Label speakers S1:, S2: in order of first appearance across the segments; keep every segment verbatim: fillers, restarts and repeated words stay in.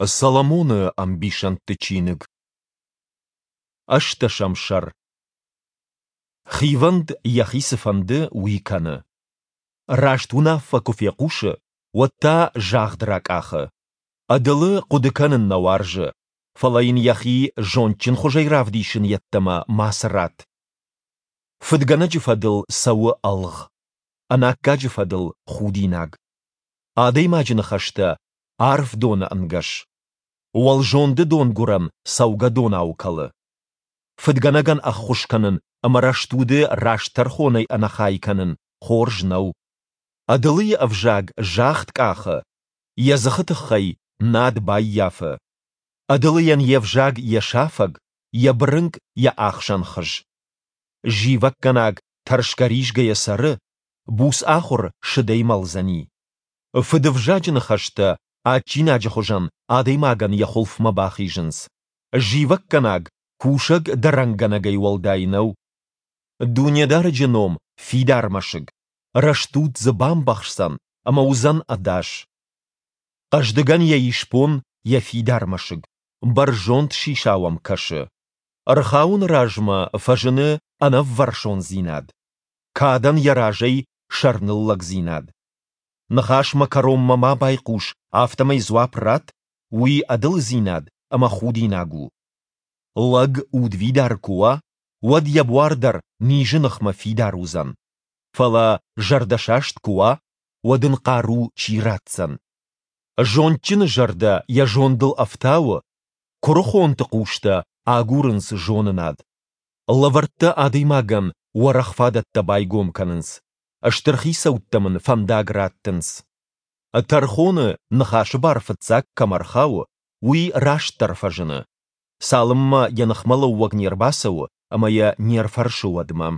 S1: Соломоны ӕмбисӕндты чиныг. Ӕстдӕсӕм сӕр. Хивӕнд йӕхи цы фӕнды, уый кӕны. Раст уынаффӕ куы фехъусы, уӕд та загъд ракъахы. Ӕдылы хъуыды кӕнын нӕ уарзы, фӕлӕ йын йӕхи зондджынхуызӕй равдисын йеддӕмӕ мацы ратт. Фыдгӕнӕджы фӕдыл цӕуы ӕлгъ, ӕнаккаджы фӕдыл худинаг. Адӕймаджы ныхӕстӕ арф доны ӕнгӕс. Уӕлзонды донгуырӕн цӕугӕдонау кӕлы. Фыдгӕнӕгӕн ӕххуыс кӕнын ӕмӕ рӕстуды раст тӕрхонӕй ӕнӕхай кӕнын хорз нӕу. Ӕдылыйы ӕвзаг загъд къахы, йӕ дзыхы тыххӕй над баййафы. Ӕдылыйӕн йе взаг йӕ сафӕг, йӕ бырынкъ йӕ ахсӕн хыз. Зивӕггӕнаг тӕрсгӕ-ризгӕйӕ цӕры, буц ахуыр сыдӕй мӕлдзӕни. Фыдывзаджы ныхӕстӕ адджинаджы хуызӕн адӕймагӕн йӕ хуылфмӕ бахизынц. Зивӕггӕнаг кусӕг дӕрӕнгӕнӕгӕй уӕлдай нӕу. Дунедарӕджы ном фидар мӕсыг, рӕстуд дзы бамбӕхсдзӕн ӕмӕ уыдзӕн ӕдас. Хъӕздыгӕн йӕ исбон йӕ фидар мӕсыг, бӕрзонд сисау ӕм кӕсы. Ӕрхауыны размӕ фӕзыны ӕнӕввӕрсондзинад, кадӕн йӕ разӕй сӕрныллӕгдзинад. Ныхасмӕ кӕронмӕ ма байхъус, афтӕмӕй дзуапп ратт, уый ӕдылыдзинад ӕмӕ худинаг у. Лӕг удвидар куы уа, уӕд йӕ буар дӕр низы ныхмӕ фидар уыдзӕн. Фӕлӕ зӕрдӕсаст куы уа, уӕд ын хъару чи ратдзӕн? Зондджыны зӕрдӕ йӕ зондыл ӕфтауы, куырыхонты хъустӕ агурынц зонынад. Лӕвӕрттӕ адӕймагӕн уӕрӕх фадӕттӕ байгом кӕнынц, стыр хицӕуттӕм ын фӕндаг раттынц. Тӕрхоны ныхасы бар фыццаг кӕмӕ рхауы, уый растдӕр фӕзыны, цалынмӕ йӕ ныхмӕлӕууӕг не рбацӕуы ӕмӕ йӕ не рфӕрсы, уӕдмӕ.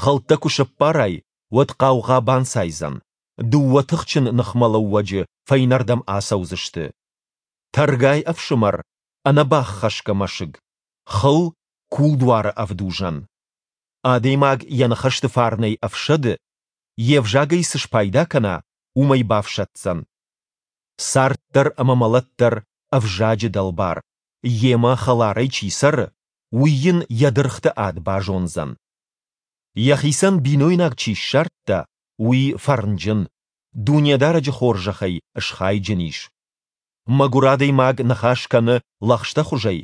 S1: Хӕлттӕ куы сӕппарай, уӕд хъаугъа банцайдзӕн, дыууӕ тыхджын ныхмӕлӕууӕджы фӕйнӕрдӕм ацӕудзысты. Тӕргай ӕфсымӕр ӕнӕбаххӕсгӕ мӕсыг, хыл кулдуары ӕвдузӕн. Адӕймаг йӕ ныхӕсты фарнӕй ӕфсӕды, йе взагӕй цы спайда кӕна, уымӕй бафсӕддзӕн. Цард дӕр ӕмӕ мӕлӕт дӕр ӕвзаджы дӕлбар, йемӕ хӕларӕй чи цӕры, уый йын йӕ дыргъты ад базондзӕн. Йӕхицӕн бинойнаг чи ссардта, уый фӕрнджын, Дунедарӕджы хорзӕхӕй схайджын ис. Мӕгуыр адӕймаг ныхас кӕны лӕгъстӕхуызӕй,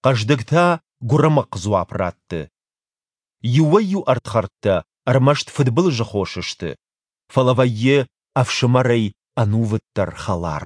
S1: хъӕздыг та гуырымыхъхъ дзуапп ратты. Иуӕй-иу ӕрдхӕрдтӕ ӕрмӕст фыдбылызы хос сты, фӕлӕ вӕййы ӕфсымӕрӕй ӕнувыддӕр хӕлар.